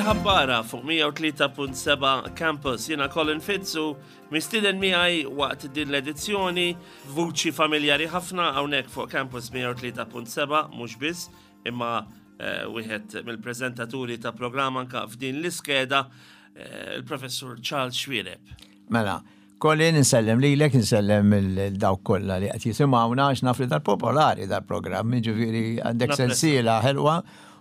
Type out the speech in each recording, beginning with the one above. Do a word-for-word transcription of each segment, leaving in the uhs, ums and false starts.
Il-ħabbara fuq mija u tlieta punt seba' Campus. Jiena Colin Fitzu, mistieden miegħi waqt din l-edizzjoni, vuċi familjari ħafna hawnhekk fuq Campus mija u tlieta punt seba', mhux biss, imma eh, wieħed mill-preżentaturi ta' programm anka f'din l-iskeda, eh, il-professur Charles Xuereb. Mela, Colin, insellem lilek, insellem lil dawk kollha li qed jisimgħuna, għax naf li dal-popolari dal-programm, ġifieri għandek Napprezza. sensiela ħelwa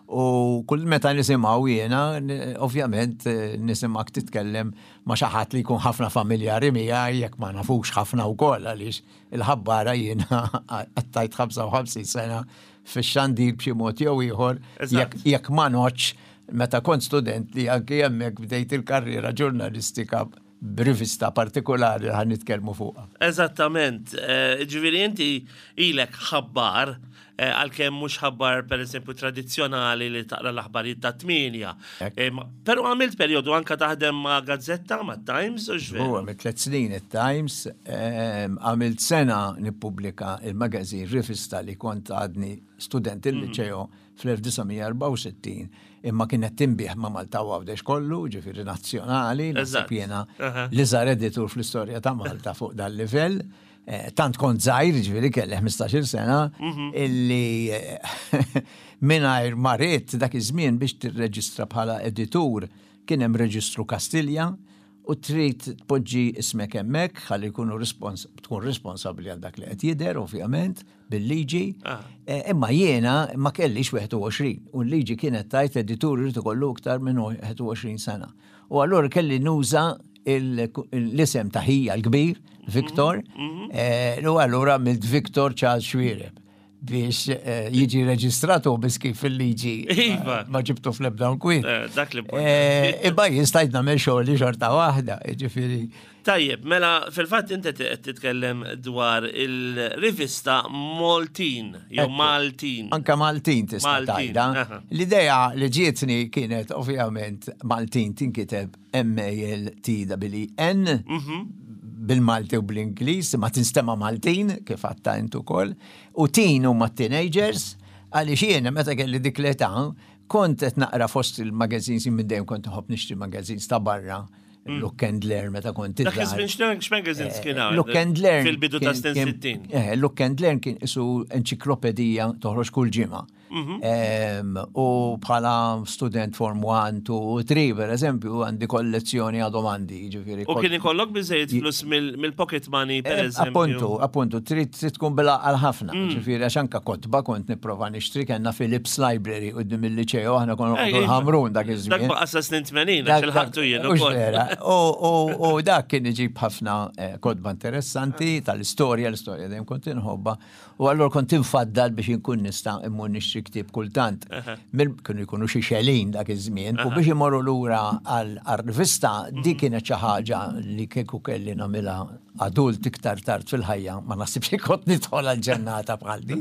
u kull meta nisimgħu jiena, n- ovvjament eh, nisimgħek titkellem ma' xi ħadd li jkun ħafna familjari miegħi, jekk ma nafux ħafna wkoll, għaliex il-ħabbara jiena għaddejt ħamsa u ħamsin sena fix-xandir b'xi mod jew ieħor, Eżatt. jekk jekk ma noċ meta kont student li anki hemmhekk bdejt il-karriera ġurnalistika b'rivista partikolari li ħa nitkellmu fuqha. Eżattament, eh, ġifieri inti ilek ħabbar, eh, għalkemm mhux ħabbar per eżempju tradizzjonali li taqra l-aħbarijiet ta' tmienja. Hekk. Eh, ma- Però għamilt perjodu anka taħdem ma' gazzetta, ma' Times, u x'veru? Huwa mit tliet snin it-Times, ehm, għamilt sena nippubblika il-magazin Rivista li kont għadni student il-liċeo fl-elf disa' mija erbgħa u sittin, imma kienet tinbiegħ ma' Malta u Għawdex kollu, ġifieri nazzjonali, naħseb Eżatt. jiena Aha. l-iżgħar editur fl-istorja ta' Malta fuq dal-livell. Eh, Tant kont żgħir, ġifieri kelli ħmistax-il sena, illi eh, mingħajr ma ridt, dak iż-żmien biex tirreġistra bħala editur kien hemm reġistru Kastilja u trid tpoġġi ismek hemmhekk ħalli jkunu respons tkun responsabbli għal dak li qed jidher, ovvjament bil-liġi. Ah. Eh, Imma jiena ma kellix wieħed u għoxrin u l-liġi kienet tgħid editur irid ikollu iktar minn wieħed u għoxrin sena. U allura kelli nuża il- l-isem ta' ħija l-kbir, Victor, eh, u allura għamilt Victor Charles Xuereb biex eh, jiġi reġistratu biss kif fil-liġi Iva. ma ġibtu fl-ebda kwiet. Eh, Dak li Eh, Imma jien stajt nagħmel xogħli xorta waħda, ġifieri. Tajjeb, mela fil-fatt inti qed titkellem dwar il-rivista Maltin, jew Ekku. Maltin. Anka Maltin tista' Maltin, tgħidha. aha. L-idea li ġietni kienet ovvjament Maltin tinkiteb M A L T E E N Mhm. bil-Malti u bl-Ingliż, ma tinstema Maltin, kif għedtha int ukoll, u teen huma teenagers, għaliex jiena meta kelli dik l-età, kont qed naqra fost il-magazines, minn dejjem kont nħobb nixtri magazines ta' barra, Look and Learn meta kont Dak iżgħar. iż-żmien x'na- x'magazines kien hawn? Look and Learn. Fil-bidu ta' kien- snin kien- sittin. Eh, Look and Learn kien isu enċiklopedija toħroġ kull ġimgħa. Mhm. Em, U bħala student form one, two, three, per eżempju, għandi kollezzjoni, għadhom għandi, ġifieri. U kien ikollok biżejjed flus mill- mill-pocket money, per Eh, eżempju? Appuntu, appuntu, trid trid tkun bila għal ħafna. Mm. Ġifieri, għax anka kotba kont nipprova nixtri, kellna Philips Library quddiem il-liċeo, aħna konna Eh, noqogħdu iva. l-Ħamrun dak Dak iż-żmien. baqa sa snin tmenin, Dak- għax ilħaqtu jien Mhux ukoll. vera. U- U u dak kien iġib ħafna eh, kotba interessanti tal-istorja, l-istorja dejjem kont inħobba. U allura kont infaddal biex inkun nista' immur nixtri ktieb kultant. Mil kienu jkunu xi xelin dak iż-żmien u biex imorru lura għal-rivista di kienet xi ħaġa li kieku kelli nagħmilha adult iktar tard fil-ħajja, ma naħsibx li kont nidħol għal-ġennata bħal di.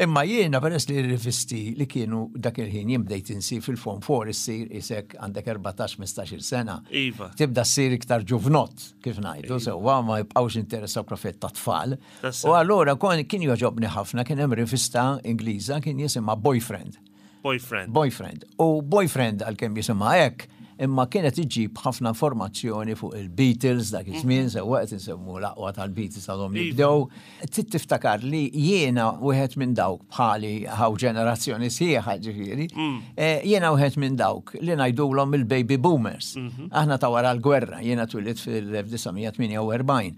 Imma jiena, peress li r-rivisti li kienu dak il-ħin, jien bdejt insir fil-form four, issir isek għandek erbatax ħmistax-il sena. Iva. Tibda ssir iktar ġuvnott, kif ngħidu, sewwa, ma jibqgħux interessaw profet ta' tfal. Tassew. U allura kon kien joġobni ħafna, kien hemm rivista Ingliża kien jisimha Boyfriend. Boyfriend. Boyfriend. U Boyfriend, għalkemm jisimha hekk, imma kienet iġib ħafna informazzjoni fuq il-Beatles dak iż-żmien, sewwa qed insemmu l-aqwa tal-Beatles għadhom Iva. jibdew. Trid tiftakar li jiena wieħed minn dawk, bħali ħaw ġenerazzjoni sħiħa ġifieri, eh, jiena wieħed minn dawk li ngħidulhom il-baby boomers. Aħna ta' wara l-gwerra, jiena twilidt fil-elf disa' mija tmienja u erbgħin.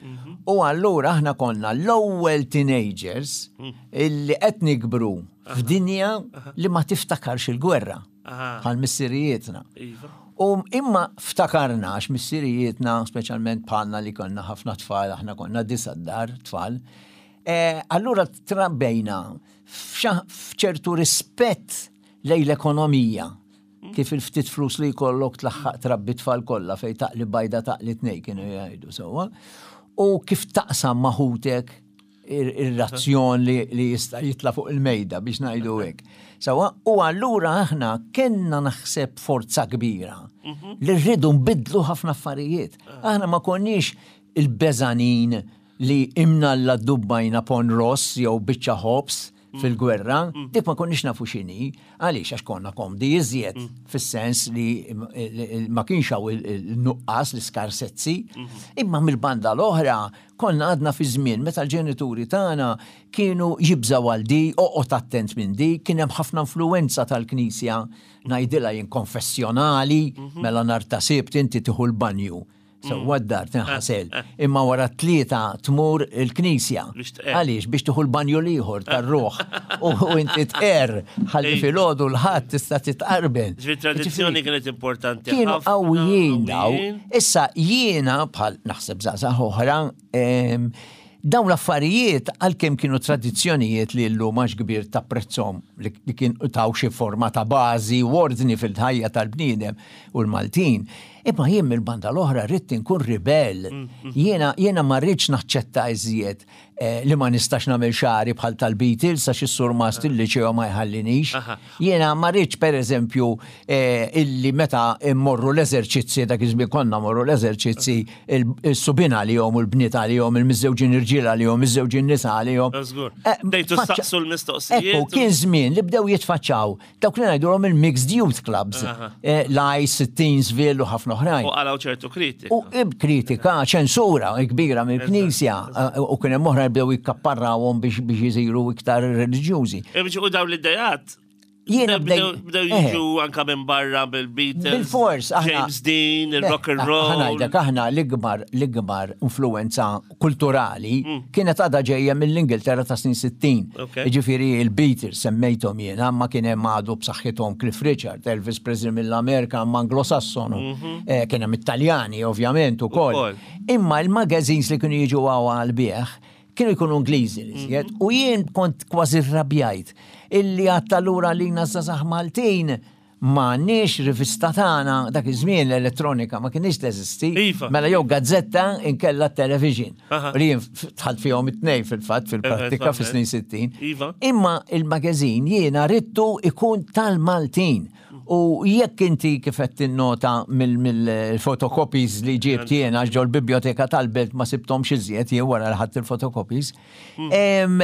U allura aħna konna l-ewwel teenagers illi qed nikbru f'dinja li ma tiftakarx il-gwerra Aha. bħal missirijietna. Iva. U imma ftakarna għax missirijietna, speċjalment bħalna li konna ħafna tfal, aħna konna disa dar tfal, eh, allura trabbejna f'xa- f'ċertu rispett lejn l-ekonomija. Kif il-ftit flus li jkollok tlaħħaq trabbi tfal kollha, fejn taqli bajda taqli tnej kienu jgħidu, sewwa. U kif taqsam ma' ħutek ir-razzjon li, li jista' jitla fuq il-mejda, biex ngħidu hekk. Sewwa, u allura aħna kellna naħseb forza kbira li rridu nbidlu ħafna affarijiet. Aħna ma konniex il-beżanin li imnalla dubbajna pon ross jew biċċa ħobs. fil-gwerra, dik ma konniex nafu x'inhi, għaliex? Għax konna komdi iżjed, fis-sens li ma kienx hawn il-nuqqas, l-iskarsezzi, imma mill-banda l-oħra konna għadna fi żmien meta l-ġenituri tagħna kienu jibżaw għal di, oqgħod attent minn di, kien hemm ħafna influenza tal-Knisja, ngħidilha jien konfessjonali, mela nhar ta' Sibt inti tieħu l-banju. Sewwa, d-dar tinħasel. Imma wara tlieta tmur il-knisja. Għaliex? Biex tieħu l-banju l-ieħor tar-ruħ. U inti tqer ħalli filgħodu l-Ħadd tista' titqarben. Ġifieri tradizzjoni kienet importanti. Kienu qawwijin daw. Issa jiena, bħal naħseb żgħażagħ oħra, dawn l-affarijiet, għalkemm kienu tradizzjonijiet li llum għax kbir tapprezzhom li kien taw xi forma ta' bażi u ordni fil-ħajja tal-bniedem u l-Maltin, imma jien mill-banda l-oħra rrid inkun ribel. Jiena jiena ma rridx naċċetta iżjed eh, li ma nistax nagħmel xagħri bħal tal-Beatles għax is-surmast il-liċeo ma jħallinix. Jiena ma rridx, pereżempju, eh, illi meta mmorru l-eżerċizzi, dak iż-żmien konna mmorru l-eżerċizzi, il-subien għalihom u l-bniet għalihom, il-miżżewġin irġiel għalihom, miżżewġin nisa għalihom. Żgur. Bdejtu staqsu l-mistoqsijiet. Ekku, kien żmien li bdew jitfaċċaw dawk li ngħidulhom il-mixed youth clubs. L-Ice, Teensville u ħafna oħrajn. U qalgħu ċertu kritika. U kritika, ċensura kbira mill-Knisja, u kien hemm oħra bdew jikkapparrawhom biex biex jisiru iktar reliġjużi. U dawn l-idejat Jiena bdew bdew jiġu anka minn barra bil-Beatles. Bil-fors, aħna. James Dean, il-rock and roll. Ħa ngħidlek, aħna l-ikbar l-ikbar influenza kulturali kienet għadha ġejja mill-Ingilterra ta' snin sittin. Ġifieri il-Beatles semmejthom jiena, ma kien hemm għadu b'saħħithom Cliff Richard, Elvis Presley mill-Amerika, ma Anglo-Sassonu. Eh, Kien hemm Italjani ovvjament ukoll. Imma il-magazines li kienu jiġu għal bieħ kienu jkunu Ingliżi li u jien kont kważi rrabjajt illi għattalura li żgħażagħ Maltin m'għandniex rivista tagħna. Dak iż-żmien l-elettronika ma kienx teżisti. Iva. Mela jew gazzetta inkella television. Aha. Li jien dħalt fihom it-tnejn fil-fatt fil-prattika fis-snin sittin. Iva. Imma il-magazine jiena ridtu ikun tal-Maltin. U jekk inti kif qed tinnota mill-photocopies li ġibt jiena ġol biblioteka tal-belt, ma sibthomx iżjed jien wara li ħadt il-photocopies. Em,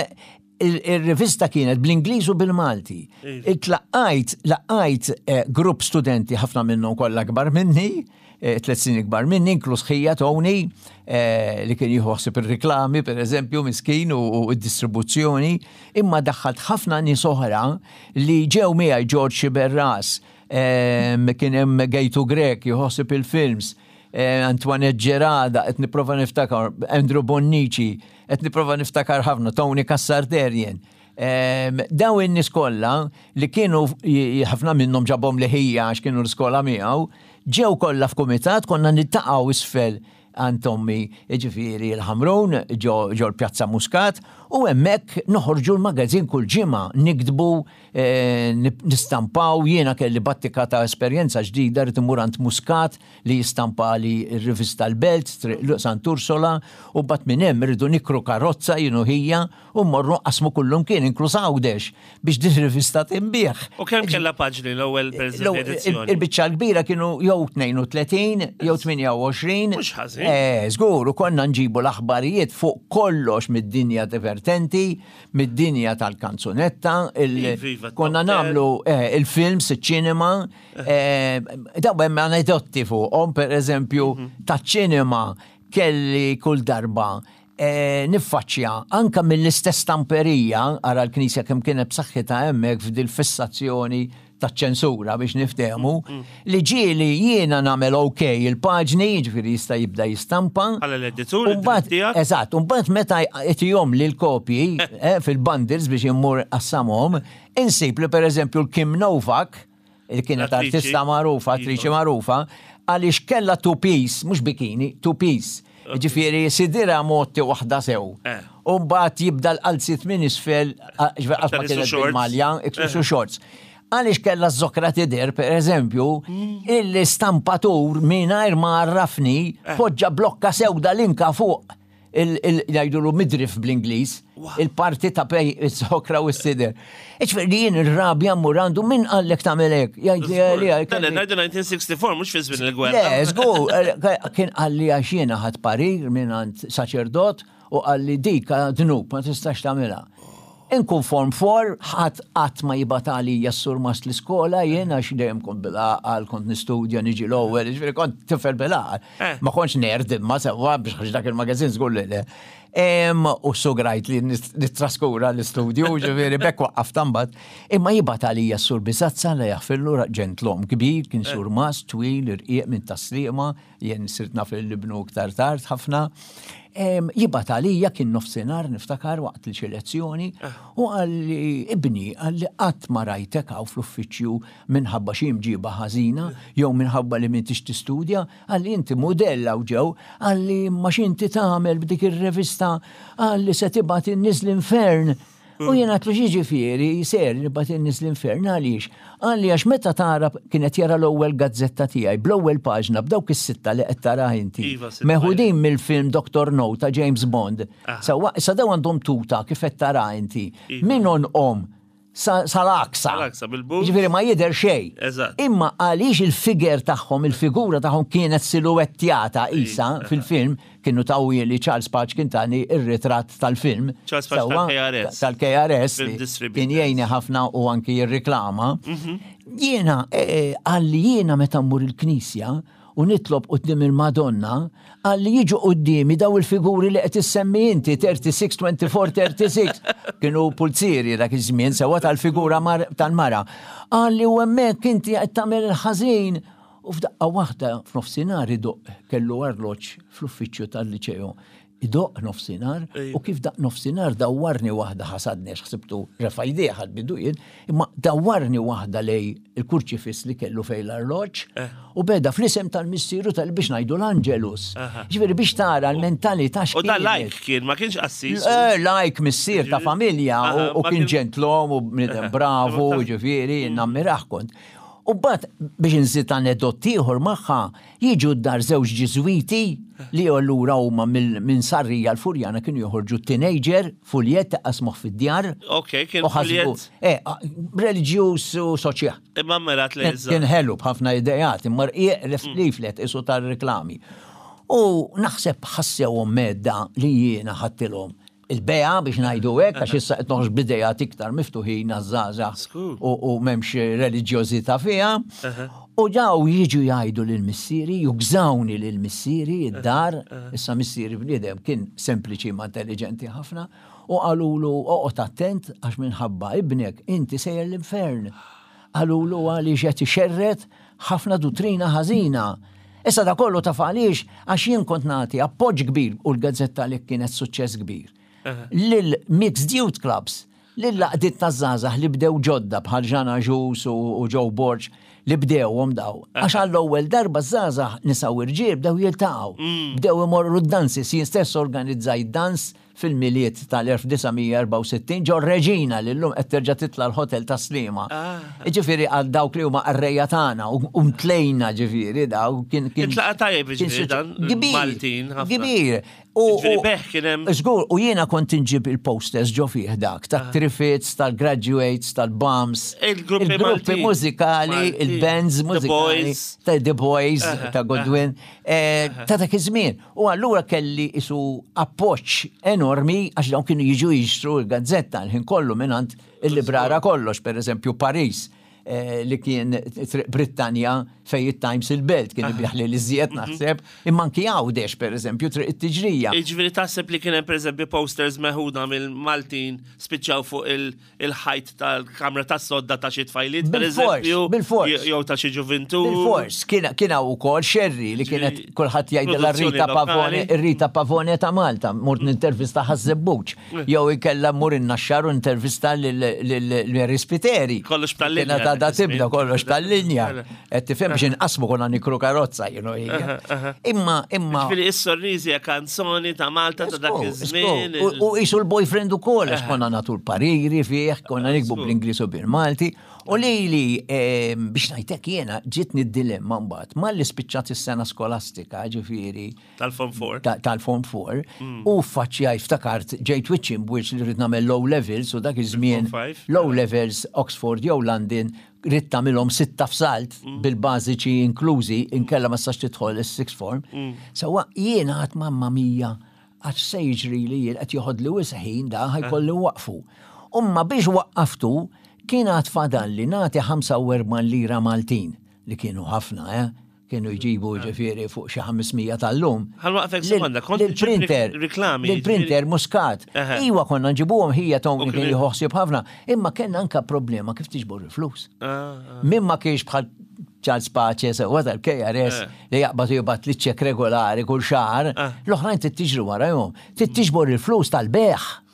il- Il-rivista kienet bl-Ingliż u bil-Malti. Itlaqqajt, laqqajt eh, grupp studenti, ħafna minnhom kollha kbar minni, eh, tliet snin ikbar minni, inkluż ħija Tony, eh, li kien jieħu ħsieb ir-reklami, per eżempju, miskin, u u d-distribuzzjoni, imma daħħalt ħafna nies oħra li ġew miegħi, George Xiberras, em, kien hemm Gejtu Grek, jħossib il-films, eh, Antoinette Gerada, qed nipprova niftakar, Andrew Bonnici, qed nipprova niftakar ħafna, Tony Cassarderien. Um, daw in-nies kollha li kienu j- ħafna minnhom ġabhom li ħija għax kienu l-iskola miegħu, ġew kollha f'kumitat, konna niltaqgħu isfel għand ommi, ġifieri l-Ħamrun, ġo ġo l-Pjazza Muscat, u hemmhekk noħorġu l-magazin kull ġimgħa, niktbu, eh, nip- nistampaw, jiena kelli battika ta' esperjenza ġdida, rrid immur għand Muscat li jistampa li r-rivista l-Belt, Triq Sant'Ursola, u bat minn hemm irridu nikru karozza jien u ħija u mmorru qasmu kullum kien, inkluż Għawdex, biex din rivista tinbiegħ. U kemm kellha paġni l-ewwel, per eżempju, edizzjoni? Il-biċċa l-kbira kienu jew tnejn u tletin jew tmienja u għoxrin. Mhux ħażin. Eh, żgur, u konna nġibu l-aħbarijiet fuq kollox mid-dinja divertenti, mid-dinja tal-kanzunetta, il- Iva, iva, konna top ten. nagħmlu eh, il-films, il-ċinema, eh, daw hemm anedotti fuqhom, per eżempju, Mhm. taċ-ċinema kelli kull darba eh, niffaċċja anka mill-istess stamperija, ara l-Knisja kemm kienet b'saħħitha hemmhekk f'dil fissazzjoni taċ-ċensura biex niftehmu, li ġieli jiena nagħmel ok il-paġni, jiġifieri jista' jibda jistampa. Bħala l-editur, Umbagħad- id-dritt tiegħek? Eżatt, umbagħad meta jtihom li l-kopji eh, fil-bundles biex immur qassamhom, insib li, per eżempju, l-Kim Novak, li kienet Attriċi. artista magħrufa, attriċi magħrufa, għaliex kella two piece, mhux bikini, two piece. Ġifieri sidirha motti waħda sew. Eh. U mbagħad jibda l-qalzit minn isfel, ġifieri qatt ma Aktar isu kienet shorts. bil-malja, isu shorts. Għaliex kella z-zokra tider, per eżempju, il-stampatur mingħajr ma għarrafni poġġa blokka sewda linka fuq il- jgħidulu midriff bl-Ingliż, il-parti ta' bejn iz-zokra u s-sider. Iġifieri jien ir-rabja mmur għandu, "Min qallek tagħmel hekk?" Jgħid li Dan ngħidu elf disa' mija u sitta u sittin, mhux fi żmien il-gwerra. Le, żgur, eh, kien qalli għax jiena ħadt parir minn għand saċerdot u qalli dik dnub, ma tistax tagħmilha. Inkun form four, ħadd qatt ma jibgħat għalija s-surmast l-iskola, jien għax dejjem kont bil-għaqal, kont nistudja, niġi l-ewwel, ġifieri kont tifel bil-għaqal. Eh. Ma kontx nerd imma sewwa biex ħax dak il-magazin żgur li le. Em, U sugrajt li nis- nittraskura l-istudju, ġifieri bekk waqqaft imbagħad. Imma jibgħat għalija s-sur Bizazza li jaħfirlu ġentlom kbir, kien surmast twil, irqiq minn Tas-Sliema, jien sirt naf l-ibnu iktar tard ħafna. Em, Jibgħat għalija kien nofsinhar niftakar waqt li xi lezzjoni u qalli ibni qalli qatt ma rajtek hawn fl-uffiċċju minħabba xi mġiba ħażina jew minħabba li m'intix tistudja, qalli inti modell hawn ġew, qalli ma x'inti tagħmel b'dik ir-revista, qalli se tibgħat in-nies l-infern. U jena għedtlu x'jiġifieri, ser nibgħat in-nies l-infern, għaliex? Qalli għax meta tara kienet jara l-ewwel gazzetta tiegħi bl-ewwel paġna b'dawk is-sitta li qed tara inti. Iva, sitta. Meħudin mill-film Doctor No ta' James Bond. Sewwa, sa daw għandhom tuta kif qed tara inti. Iva. Min om sal-aksa. Sal-aksa, bil-boots. Ġifieri ma jidher xejn. Eżatt. Imma għaliex il-figure tagħhom, il-figura tagħhom kienet siluettjata isa fil-film, kienu tawwi li Charles Pace kien tani ir-ritratt tal-film. Charles Pace Sewwa, tal-K R S. Tal-K R S. Film li distributor. Kien jgħinni ħafna u anki jirriklama. Jiena, eh, qalli jiena meta mmur il-knisja u nitlob quddiem il-Madonna, qalli jiġu quddiemi daw il-figuri li qed issemmi inti, tlieta u tletin, erbgħa u għoxrin, tlieta u tletin. Kienu pulzieri dak iż-żmien sewwa tal-figura mar- tal-mara. Qalli u hemmhekk inti qed tagħmel il-ħażin. U f'daqqa waħda f'nofsinhar idoq kellu arloġġ fl-uffiċċju tal-liċeo. Idoq nofsinhar u kif daq nofsinhar dawwarni waħda, ħasadni għax ħsibtu refa' jdejh għal bidu jien, imma dawwarni waħda lej il-kurċifiss li kellu fej l-arloġġ u beda fl-isem tal-missieru tal biex ngħidu l-Angelus. Ġifieri biex tara l-mentalità U da x'kienet. Like kien, ma kienx qassis. Eh, like missier ta' familja u- Aha, u ma kien kien- ġentlom u bniedem bravu, ġifieri, nammirah kont. U bat biex nżid anedot ieħor magħha, jiġu d-dar żewġ Ġiżwiti li allura huma mill- minn Sarrija l-Furjana kienu joħorġu Teenager, fuljett qasmuh fid-djar. Ok, kien U ħasbu, fuljett. eh, reliġjuż u soċjal. Imma mirat li Kien ħelu b'ħafna idejat, imma rqiq leaflet isu tal-reklami. U naħseb ħassewhom medda li jiena ħadtilhom il-beja biex ngħidu hekk, għax issa qed noħroġ b'idejat iktar miftuħin għaż-żgħażagħ Skur. u u m'hemmx reliġjożità fiha. U daw jiġu jgħidu lil missieri, jugżawni lil missieri id-dar, issa missieri bniedem kien sempliċi ma intelligenti ħafna, u qalulu oqgħod attent għax minħabba ibnek inti sejjer l-infern. Qalulu għaliex qed ixerred ħafna duttrina ħażina. Issa da kollu taf għaliex, għax jien kont nagħti appoġġ kbir u l-gazzetta li kienet suċċess kbir. Lil Mixed Youth Clubs, lil għaqdiet ta' żgħażagħ li bdew ġodda bħal Ġana Ġus u u Joe Borg li bdewhom daw. Għax għall-ewwel darba żgħażagħ nisa u rġiel bdew jiltaqgħu. Bdew imorru d-dansi, jien stess organizzajt dans fil-Milied tal-elf disa' mija erbgħa u sittin ġo Reġina li llum qed terġa' titla' l-hotel ta' Sliema. Ġifieri għal dawk li huma qarrejja tagħna u u mtlejna ġifieri daw kien kien Intlaqa tajjeb kien ġifieri suċ- dan, Kbir, Maltin ħafna. Kbir. U- Ġifieri u- beħ kien hemm- Żgur, u jiena kont inġib il-posters ġo fih dak, ta' Trifits, tal-Graduates, tal-Bums, Il-gruppi il-gruppi Maltin. mużikali, Maltin. il-bands The mużikali, Boys. ta' The Boys, ta' Godwin, eh, ta' dak iż-żmien. U allura kelli isu appoġġ enormi għax dawn kienu jiġu jixtru l-gazzetta l-ħin kollu mingħand il-librara kollox, per eżempju Paris, eh, li kien Triq Brittanja fej it-Times il-Belt, kien ibigħ li l-iżjed naħseb, imma anki Għawdex, per eżempju, Triq it-Tiġrija. Ġifieri taħseb li kien hemm pereżempju posters meħuda mill-Maltin spiċċaw fuq il- il-ħajt tal-kamra tas-sodda ta' xi tfajliet, per Bil-fors, eżempju, bil-fors. jew ta' xi ġuvintur. Bil-fors, kien kien hawn ukoll Xerri li kienet Ġifieri, kulħadd jgħidilha produzzjoni Rita Pavone, lokali. Rita Pavone ta' Malta, mort nintervista Ħaż-Żebbuġ, jew ikella mmur in-Naxxar u intervista lil Spiteri. Kollox tal-linja Kienet għadha dak iż-żmien. tibda kollox tal-linja. Qed tifhem biex inqasmu konna nikru karozza, you know. Imma imma Ġifieri is-sorriżi hija kanzoni ta' Malta ta' dak iż-żmien. U u jisu l-boyfriend u kol, għax konna natu l-pariri fih, konna niktbu bl-Inglis u bil-Malti. U li li, ehm, biex ngħidlek jena, ġitni d-dilemma mbagħad, malli spiċċat is-sena skolastika, ġifieri, Tal-Form four. ta- tal-Form four, u faċċjaj ftakart ġejt wiċċ imb'wiċċ li rrid nagħmel low levels u dak iż-żmien Form five. low levels Oxford jew London ridt tagħmilhom sitta f'salt bil-bażiċi inklużi, inkella ma sax tidħol is-sixth form. Sewwa jiena għedt mamma mia għax se jiġri li jien qed joħod li wisq ħin da ħa jkolli waqfu. Imma biex waqqaftu kien għad fadalli nagħti ħamsa u erbgħin lira Maltin li kienu ħafna, eh? Kienu jġibu ġifieri fuq xi ħames mija tal-lum. Ħa nwaqqfek sekonda, kont Lill-printer, reklami. Lill-printer Muscat. Eħe. Iwa, konna nġibuhom, ħija Tony U kien kien- jieħu ħsieb ħafna, imma kellna anka problema kif tiġbor il-flus. Ah, ah. Min ma kienx bħal Charles Pace, sewa tal-K R S, Eh. li jaqbad u jibgħat li ċek regolari kull xahar, Ah. l-oħrajn tiġri warahom, tiġbor il-flus tal-bejgħ.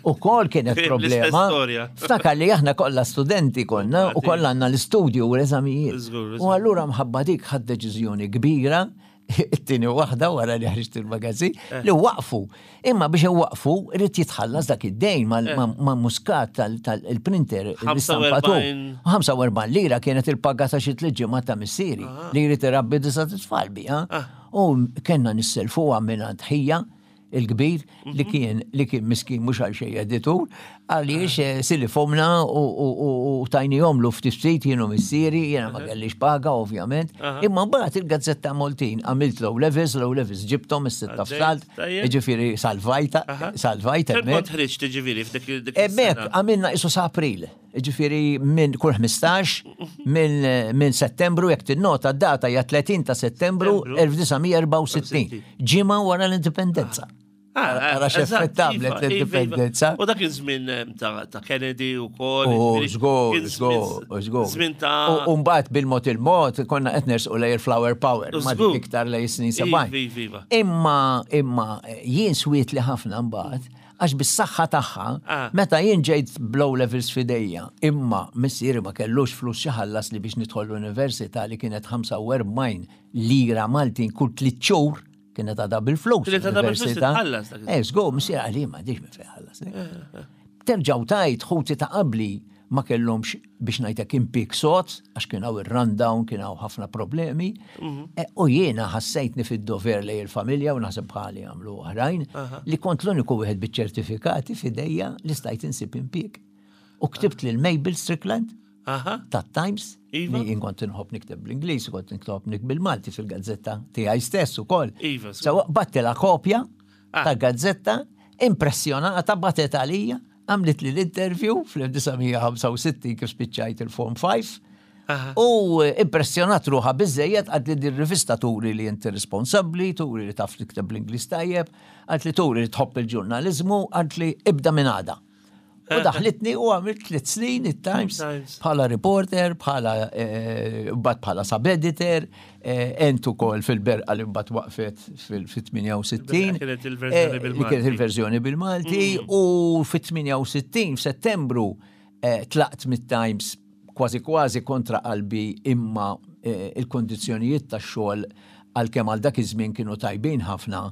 U kol kienet L-istess problema. storja. Ftakar li aħna kollha studenti konna u kollha għandna l-istudju u l-eżamijiet. Żgur, U żgur. allura mħabba dik ħadt deċiżjoni kbira, it-tieni waħda wara li ħriġt il-magazin, Eh. li waqfu. Imma biex waqfu, irid jitħallas dak id-dejn Eh. ma' Muscat tal-printer, l-istampatur. ħamsa u erbgħin. ħamsa u erbgħin lira kienet il-paga ta' xi tliet ġimgħat ta' missieri li jrid irabbi disa' tfal biha. Ah. U kellna nisselfuha minn ħija il-kbir li kien li kien miskin mhux għal xejn editur, għaliex eh, silifhomlna u, u, u, u tajnihomlu ftit ftit jien u missieri, jiena ma kellix paga ovvjament. Imma mbagħad il-Gazzetta Maltin għamilt low levels, low levels ġibthom is-sitta Għaddejt, f'salt, tajjeb. jiġifieri salvajta, salvajta Kemm hemmhekk. kont ħriġt ġifieri f'dik dik Hemmhekk is-sena? għamilna isu sa April, ġifieri minn kull ħmistax, minn minn Settembru, jekk tinnota d-data hija tletin ta' Settembru Settembru. elf disa' mija erbgħa u sittin, ġimgħa wara l-indipendenza. Ah, Ara eżatt, x'effett għamlet iva, iva, l-indipendenza. iva. U dak iż-żmien eh, ta' ta' Kennedy u kol. U ġifieri, żgur, kien żgur, żmien- żgur. Żmien ta' U mbagħad bil-mod il-mod konna qed nersqu lejn il-flower power, ma Żgur. dik iktar lejn snin Iva, sebgħin. iva, iva. Imma imma jien swietli ħafna mbagħad għax bis-saħħa tagħha Ah. meta jien ġejt b'O levels f'idejja, imma missieri ma kellux flus xi ħallas li biex nidħol l-università li kienet ħamsa u erbgħin lira Maltin kull tliet xhur, kienet għadha bil-flus. Kienet għadha bil-flus l-università. titħallas dak Eh, żgur, missieri għalli ma diġ minn fejn ħallas. Terġaw tajt ħuti ta' qabli ma kellhomx biex ngħidlek impik sot, għax kien hawn ir-rundown, kien hawn ħafna problemi. E, U jiena ħassejtni fid-dover lejn il-familja u naħseb bħali għamlu oħrajn li kont l-uniku wieħed biċ-ċertifikati f'idejja li stajt insib impik. U ktibt lil Mabel Strickland Aha. tat-Times, Iva. li jien kont inħobb nikteb bl-Ingliż, kont inħobb nikteb bil-Malti fil-gazzetta tiegħi stess ukoll. Iva, żgur. So bgħattilha kopja Ah. ta' gazzetta, impressjonata bagħtet għalija, għamlet li l-interview fl-elf disa' mija ħamsa u sittin kif spiċċajt il-Form five. Aha. U impressjonat ruħha biżżejjed, qaltli din rivista turi li inti responsabbli, turi li taf tikteb bl-Ingliż tajjeb, qaltli turi li tħobb il-ġurnalizmu, qaltli ibda minn għada. U daħlitni u għamilt tliet snin it-Times Times. bħala reporter, bħala eh, mbagħad bħala sub-editor, eh, ent ukoll fil-Berqa li mbagħad waqfet fil-tmienja u sittin. Il-Berqa kienet il-verżjoni Eh, li bil-Malti. kienet il-verżjoni bil-Malti u fit-tmienja u sittin f'Settembru eh, tlaqt mit-Times kważi kważi kontra qalbi, imma eh, il-kondizzjonijiet tax-xogħol għalkemm għal dak iż-żmien kienu tajbin ħafna,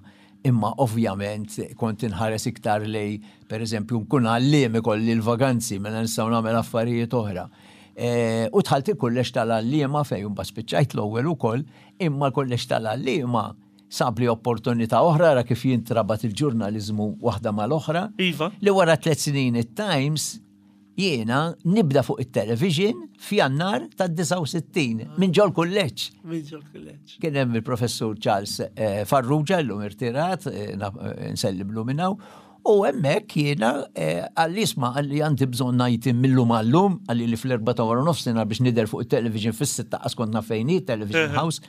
imma ovvjament kont inħares iktar lej, per eżempju, nkun għalliem ikolli l-vaganzi, mela nistgħu nagħmel affarijiet oħra. Eh, U dħalt il-kulleġġ tal-għalliema fejn mbagħad spiċċajt l-ewwel ukoll, imma l-kulleġġ tal-għalliema sabli opportunità oħra, ra kif jintrabat il-ġurnalizmu waħda mal-oħra. Iva. Li wara tliet snin it-Times jiena nibda fuq it-television f'Jannar tad-disgħa u sittin minn ġol kulleġġ. Minn ġol kulleġġ. Kien hemm il-professur Charles eh, Farrugia, llum irtirat, eh, na- eh, nsellimlu minn hawn, u hemmhekk jiena eh, qalli isma', qalli għandi bżonn ngħid millum għallum, qalli li fl-erba ta' wara nofsinhar biex nidher fuq it-television fis-sitta, qas kont naf fejn hi, Television House,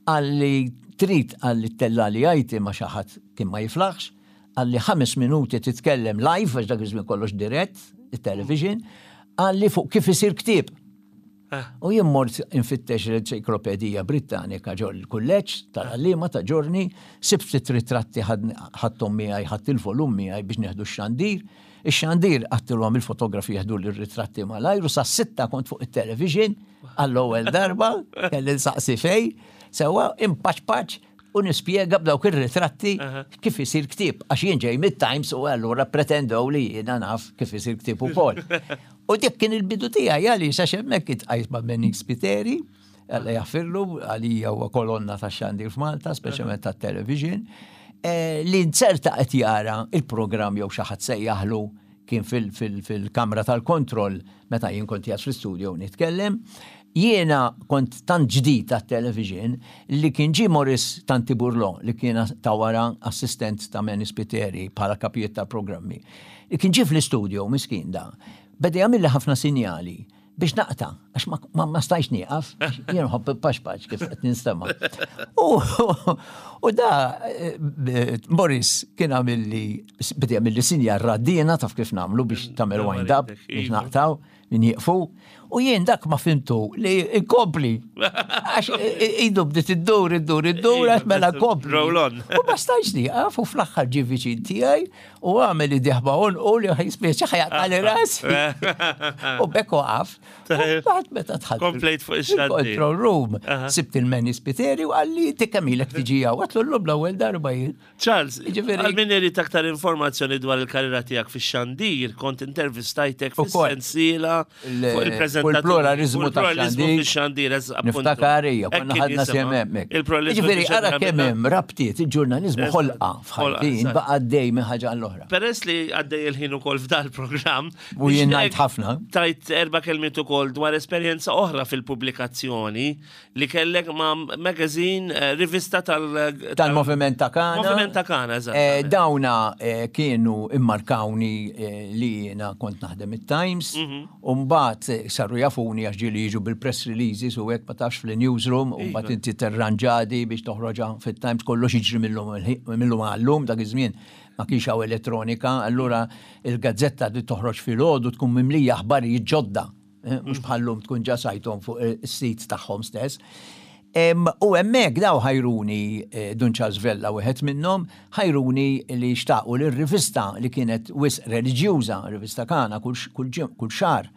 qalli trid, qalli ttella' li għajti ma xi ħadd kien ma jiflaħx, qalli ħames minuti titkellem live, għax dak iż-żmien kollox dirett, it-television, qalli fuq kif isir ktieb. Ah. U jien mort infittex l-Enċiklopedija Britannika ġol il-kulleġġ tal-għalliema ta' Giorni, sibt ftit ritratti, ħadthom miegħi, ħadt il-volum miegħi biex nieħdu x-xandir. Ix-xandir għedtilhom il-fotografi jieħdu l-ritratti malajr u sa sitta kont fuq it-television għall-ewwel darba, kelli nsaqsi fej, sewa impaċ u nispjega b'dawk ir-ritratti kif isir ktieb, għax jien ġej mid-Times u allura pretendew li jiena naf kif isir ktieb ukoll. U dik kien il-bidu tiegħi, għaliex għax hemmhekk iltqajt ma' Benning Spiteri, Alla jaħfirlu, għalija huwa kolonna ta' xandir f'Malta, speċjalment ta' television, eh, li nzerta qed jara il-programm jew xi ħadd sejjaħlu kien fil-kamra tal-kontroll meta jien kont qiegħed fl-studio nitkellem, Jiena kont tant ġdid tat television li kien ġi Morris Tanti Burlon, li kien ta' wara assistent ta' Manny Spiteri bħala kapijiet ta' programmi. Li kien ġi fl-istudio, miskin da. Beda jagħmilli ħafna sinjali biex naqta, għax ma, ma, ma stajx nieqaf, jien nħobb paxpax kif qed ninstema'. U, u da eh, Morris kien għamilli, beda jagħmilli sinjal raddina, taf kif nagħmlu biex tagħmel wind up, biex Iva. naqtaw, min jieqfu. U jien dak ma fhimtu li inkompli. Għax idu bdiet iddur, iddur, iddur, Iva, għax mela kompli. Roll on. U ma stajx nieqaf u fl-aħħar ġi viċin tiegħi u għamel idejh ma' għonqu li ħaj speċi ħa jaqtagħli rasi. U bekk waqaf. U mbagħad meta dħalt Komplejt fuq ix-xandir. Control room. Sibt il-Manny Spiteri u qalli ti kemm ilek tiġi hawn. Għedtlu llum l-ewwel darba jien. Charles, Jiġifieri- għal min irid aktar informazzjoni dwar il-karriera tiegħek fix-xandir, kont intervistajtek Ukoll. fis-sensiela Il- fuq il-preżentatur. fuq il-pluralizmu fuq il-pluralizmu tax-xandir. fix-xandir, eż- appuntu. Niftakar hija, Hekk konna kien ħadna jisimha. sem hemmhekk. Il-pluralizmu Jiġifieri fix-xandir ara kemm għamilna- hemm rabtiet, il-ġurnaliżmu Eżatt. ħolqa Ħolqa, f'ħajti, eżatt. baqa' għaddej minn ħaġa għall-oħra. Peress li għaddej il-ħin ukoll f'dal program. U jien nixtieq ngħid ħafna. Tajt erba' kelmiet ukoll dwar esperjenza oħra fil-pubblikazzjoni li kellek ma' magazine, eh, rivista tal- Tal-Moviment ta' Kana. Moviment ta' Kana, Eh, eżatt. Dawna eh, kienu immarkawni eh, li jiena kont naħdem it-Times, Mhm. u mbagħad eh, saru jafuni għax ġieli jiġu bil-press releases u hekk, ma tafx, fil-newsroom, u mbagħad Iva. inti terranġadi biex toħroġha fit-Times, kollox jiġri mill-lum għallum, dak iż-żmien ma kienx hawn elettronika, allura il-gazzetta li toħroġ filgħodu tkun mimlija aħbarijiet ġodda, eh, mhux bħallum tkun ġa sajthom fuq is-sit tagħhom stess. Em, U hemmhekk daw ħajruni, eh, Dun Charles Vella wieħed minnhom, ħajruni li xtaqu li r-rivista li kienet wisq reliġjuża, rivista Kana kull kull ġim- kull xahar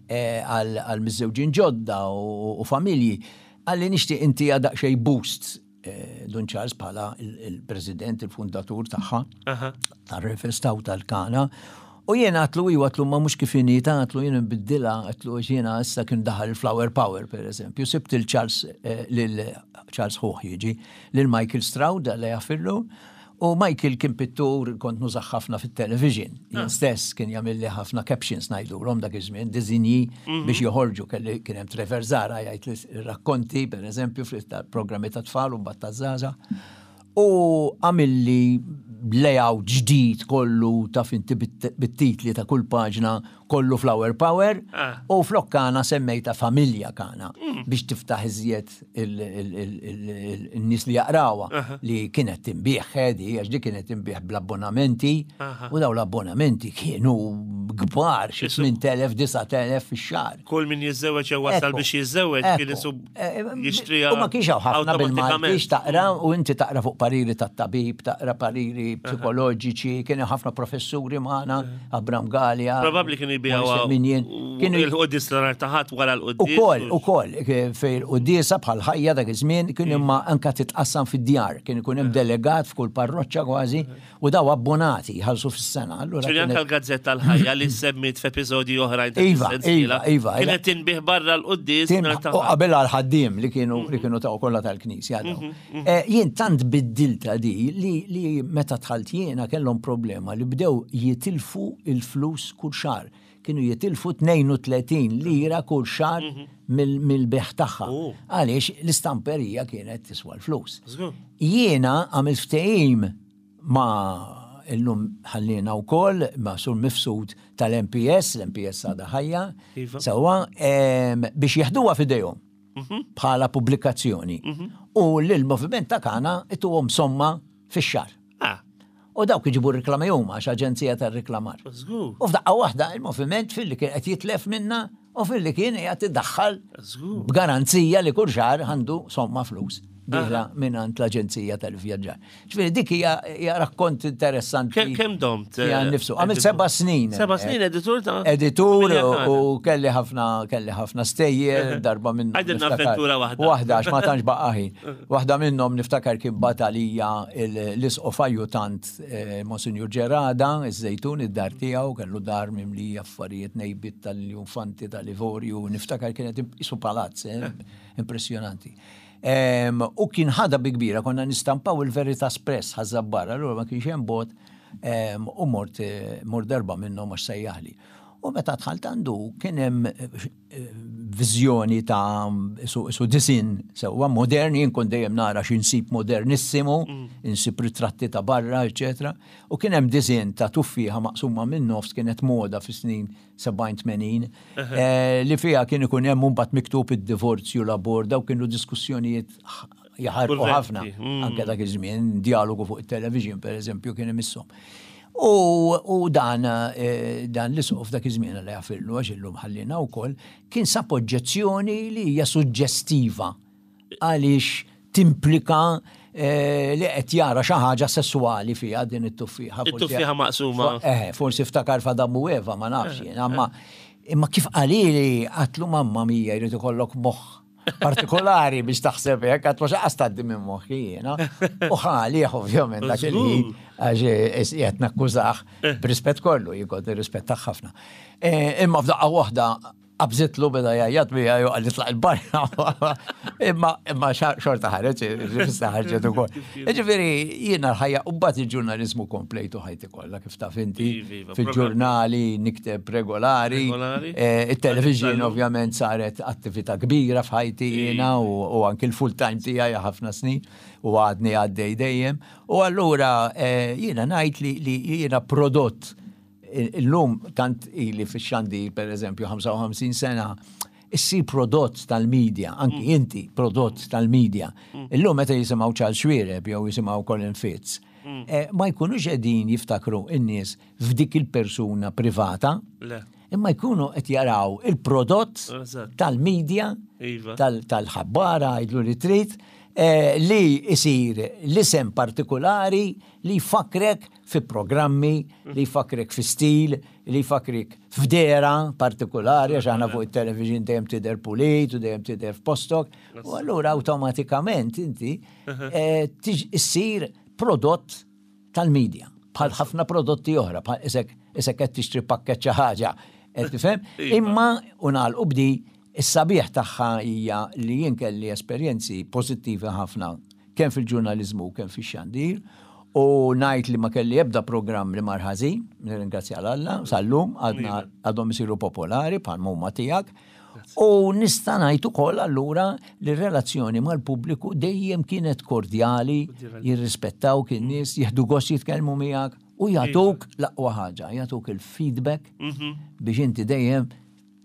eh, għal għal miżżewġin ġodda u, u familji, qalli nixtieq inti daqsxejn boost, eh, Dun Charles bħala il- il-president, il-fundatur tagħha Aha. tar-rivista u tal-Kana. U jiena għedtlu iwa, għedtlu ma mhux kif inhi ta, għedtlu jiena nbiddilha, għedtlu jiena issa kien daħal il-Flower Power, per eżempju. Sibt il-Charles, eh, lil Charles ħuħ jiġi, lil Michael Stroud, li jaffillu, u Michael kien pittur, kont nużah ħafna fit-television. Jien stess kien jagħmilli ħafna captions ngħidulhom dak iż-żmien, disinji biex joħorġu, kelli kien hemm Trevor Zara jgħid li rakkonti, per eżempju, fil-programmi ta' tfal u mbagħad ta' żgħażagħ. U għamilli layout ġdid kollu, taf inti, bit- bit-titli ta' kull paġna, kollu Flower Power Ah. u flok Kana semmejta Familja Kana biex tiftaħ iżjed il-nies li jaqrawha, li kienet tinbiegħ ħedi, għax di kienet tinbiegħ bl-abbonamenti u daw l-abbonamenti kienu kbar, xi tmien elef, disa' elef fix-xahar. Kull min jiżżewweġ jew wasal Ekku, biex jiżżewweġ kien ekku. isu Eh, jixtriha. U ma kienx hawn ħafna bil-Malti awtomatikament. taqra u inti taqra fuq pariri tat-tabib, taqra pariri psikoloġiċi, kienu ħafna professuri magħna, Abram Galea. Probabbli kienu jbigħu Min jien. Kienu il-quddies l ta' Ħadd wara l-quddies. Ukoll, ukoll, fej il-quddiesa bħal ħajja dak iż-żmien kien imma anka titqassam fid-djar, kien ikun hemm delegat f'kull parroċċa kważi u daw abbonati jħallsu fis-sena. Allura Ġifieri anka kienet- l-gazzetta l-ħajja li semmit f'episodji oħrajn ta' Iva, sensiela, iva, iva. kienet tinbiegħ barra l-quddies Tim- nhar ta' U Ħadd. qabel għal-ħaddiem li kienu li kienu ta' kollha tal-knisja daw. Eh, Jien tant biddilta di li, li meta dħalt jiena kellhom problema li bdew jitilfu il-flus kull xahar. Kienu jitilfu tnejn u tletin lira kull xahar mill- mill-bejgħ tagħha. Oh. Għaliex l-istamperija kienet tiswa l-flus. Żgur. Jiena għamilt ftehim ma' illum ħallina wkoll ma' Sur Mifsud tal-M P S, l-M P S għadha ħajja, Iva. sewwa, em, biex jeħduha f'idejhom bħala pubblikazzjoni. U l-moviment ta' Kana ituhom somma fix-xahar. Ah, U dawk iġibu reklami huma għax aġenzija tar-reklamar. żgur. U f'daqqa waħda il-moviment fil-li kien qed jitlef minna u fil-li kien qed iddaħħal Żgur. b'garanzija li kull xahar għandu somma flus dieħla minn l-Aġenzija tal-Vjaġġar. Ġifieri dik hija hija rakkont interessanti. Ke- Kemm domt? Fija eh, nifsu. Għamilt editur? seba' snin. Seba' snin editur ta' Editur Familja Kana. u kelli ħafna kelli ħafna stejjer, darba minnhom. Għidilna niftakar- avventura waħda. Waħda, għax ma tantx baqa' ħin. Waħda minnhom niftakar kien batalija l-isqof ajjutant, eh, Monsinjur Ġerada, iż-Żejtun, id-dar tiegħu, kellu dar mimlija affarijiet, nejbit tal-infanti tal-Ivorju, niftakar kienet isu palazz, eh, impressjonanti. Em, U kien ħada bi kbira, konna nistampaw il-Veritas Press Ħaż-Żabbar, allura ma kienx hemm bot, em, u mort eh, mort darba minnhom għax sejjaħli. U meta dħalt għandu kien hemm eh, viżjoni ta' su, su disinn sewwa modern, jien kont dejjem nara x'insib modernissimu, insib ritratti ta' barra, eċetera. U kien hemm disinn ta' tuffieħa maqsuma minn nofs, kienet moda fis-snin sebgħin tmenin, eh, li fiha kien ikun hemm mbagħad miktub id-divorzju, l-abort, daw kienu diskussjonijiet jaħarqu Kurrenti, ħafna. mm. Anke dak iż-żmien, dialogu fuq it-television, per eżempju, kien imisshom. U, u dan, eh, dan l-isqof dak iż-żmien, li jaħfirlu għax illum ħallina wkoll, kien sab oġġezzjoni li hija suġġestiva għaliex timplika eh, li qed jara xi ħaġa sessuali fiha din it-tuffieħa. Forsi- It-tuffieħa maqsuma. Eh, forsi ftakar f'Adam u Eva, ma nafx jien, imma imma kif qalili għedtlu, "Mamma mia, jrid ikollok moħħ partikolari biex taħseb hekk," għedtlu, "x'qas tgħaddi minn moħħi jiena." U ħali ovvjament dak il-ħin għax qed nakkużah b'rispett kollu, jien kont nirrispettah ħafna. Eh, Imma f'daqqa waħda qabżitlu, beda jgħajjat bija, ju qalli tlaq 'il barra. Imma imma xa- xorta ħareġ, ġifista ħarġet ukoll. Ġifieri jiena l-ħajja u mbagħad il-ġurnaliżmu komplejtu ħajti kollha, kif taf inti, Iva, iva, fil-ġurnali nikteb regolari. Regolari. Eh, Il-television Tal-lum. ovvjament saret attività kbira f'ħajti jiena u u anki l-full time tiegħi ħafna snin u għadni għaddej dejjem. U allura eh, jiena ngħid li li jiena prodott. Illum tant ili fix-xandir, per eżempju, ħamsa u ħamsin sena, issir prodott tal-medja, anki inti prodott tal-medja. Illum meta jisimgħu Charles Xuereb jew jisimgħu Colin Fitz, eh, ma jkunux qegħdin jiftakru in-nies f'dik il-persuna privata, Le. imma jkunu qed jaraw il-prodott Eżatt. tal-medja, Iva. tal- tal-ħabbara, għidlu li trid, eh, li isir l-isem partikolari li jfakrek fi programmi, li jfakrek fi stil, li jfakrek f'dehra partikolari, għax aħna fuq il-television dejjem tidher pulit u dejjem tidher f'postok, u allura automatikament inti eh, tiġ- issir prodott tal-medja, bħal ħafna prodotti oħra, bħal isek isek qed tixtri pakket xi ħaġa, qed tifhem? Iva. Imma u nagħlqu b'di, is-sabiħ tagħha hija li jien kelli esperjenzi pożittivi ħafna kemm fil-ġurnaliżmu kemm fix-xandir u ngħid li ma kelli ebda programm li mar ħażin, nirringrazzja 'l Alla, sal-lum għadna għadhom isiru popolari bħal huma tiegħek. U nista' ngħid ukoll allura li r-relazzjoni mal-pubbliku dejjem kienet kordjali, jirrispettaw in-nies, jieħdu gost jitkellmu miegħek u jagħtuk l-aqwa ħaġa, jagħtuk il-feedback biex inti dejjem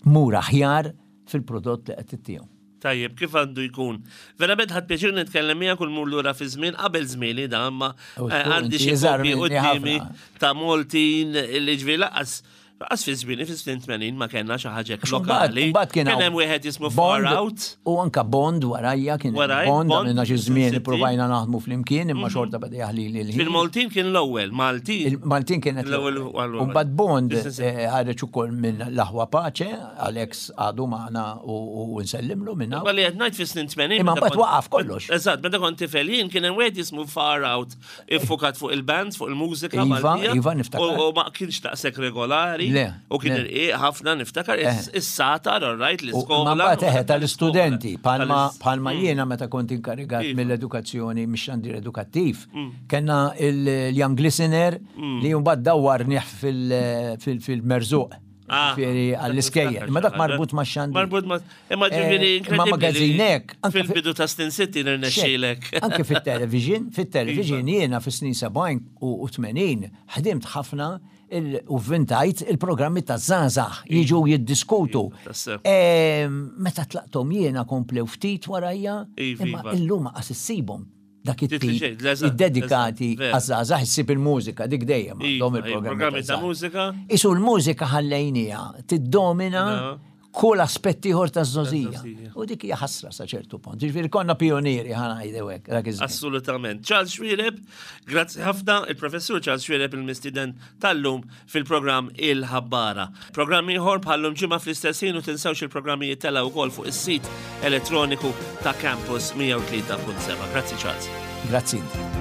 tmur aħjar fil-prodott li qed tittihom. Tajjeb, kif għandu jkun. Verament ħadt pjaċir nitkellem miegħek u mmur lura fi żmien qabel żmieni da, imma U eh, żgur, għandi inti xi iżgħar kopji minni quddiemi ħafna. ta' Maltin li ġifieri laqas laqas fi żmieni fi snin tmenin ma kellna xi ħaġa hekk Għax mbagħad- lokali. mbagħad kien Kien hawn hemm wieħed jismu Far Bond Out. U anka Bond warajja kien hemm Warajk, Bond, Bond, għamilna xi żmien sittin. ipprovajna naħdmu flimkien, imma xorta beda jaħli li l-ħin. Fil-Maltin kien l-ewwel, Maltin. Il-Maltin kienet L-ewwel l-ewwel. U mbagħad Bond This is- eh, ħareġ ukoll minn l-aħwa Pace, Alex għadu magħna u u nsellimlu minna. Għalli qed ngħid fi snin tmenin. Imma meta mbagħad kont- waqaf kollox. Eżatt, meta kont tifel jien kien hemm wieħed jismu Far Out iffukat fuq il-bands, fuq il-mużika Iva, Maltija. iva, niftakar. U u ma kienx daqshekk regolari. Le, U kien le. irqiq ħafna, niftakar is-satar, all right, U l-iskola. Ma mbagħad eħe tal-istudenti, palma Tal-is- palma jiena meta kont inkarigat Iva. mill-edukazzjoni, mix-xandir edukattiv, kellna il-Young Listener li mbagħad dawwarnih fil- fil- fil-Merżuq. Ah, Ġifieri għall-iskejjel. Imma dak marbut ma' xandir. Marbut ma' Imma ġifieri Eh, imma inkredibbli li magazinek, anke fi- fil-bidu ta' snin sittin irnexxielek. Anke fit-television, fit-television jiena fis-snin sebgħin u tmenin ħdimt ħafna il- u vvintajt il-programmi ta' żgħażagħ jiġu jiddiskutu. Iva, tassew. Em, Meta tlaqtom jiena komplew ftit warajja, Iva, imma iva. illum qas issibhom dak Titli it-tip xejn, l-eżatt, id-dedikati eżatt, vera. għaż-żgħażagħ. Issib il-mużika, dik dejjem Iva, għandhom iva, il-programmi programmi ta' ta' mużika. Isu l-mużika ħallejnija tiddomina No. kull aspett ieħor taż-żgħożija. Taż-żgħożija. U dik hija ħasra sa ċertu punt. Ġifieri konna pionieri, ħa ngħidu hekk dak iż-żmien. Assolutament. Charles Xuereb, grazzi ħafna, il-professur Charles Xuereb, il-mistiden tal-lum fil-programm Il-Ħabbara. Programm ieħor bħallum ġimgħa fl-istess ħin u tinsewx il-programmi jittellgħu wkoll fuq is-sit elettroniku ta' Campus mija u tlieta punt seba. Grazzi, Charles. Grazzi inti.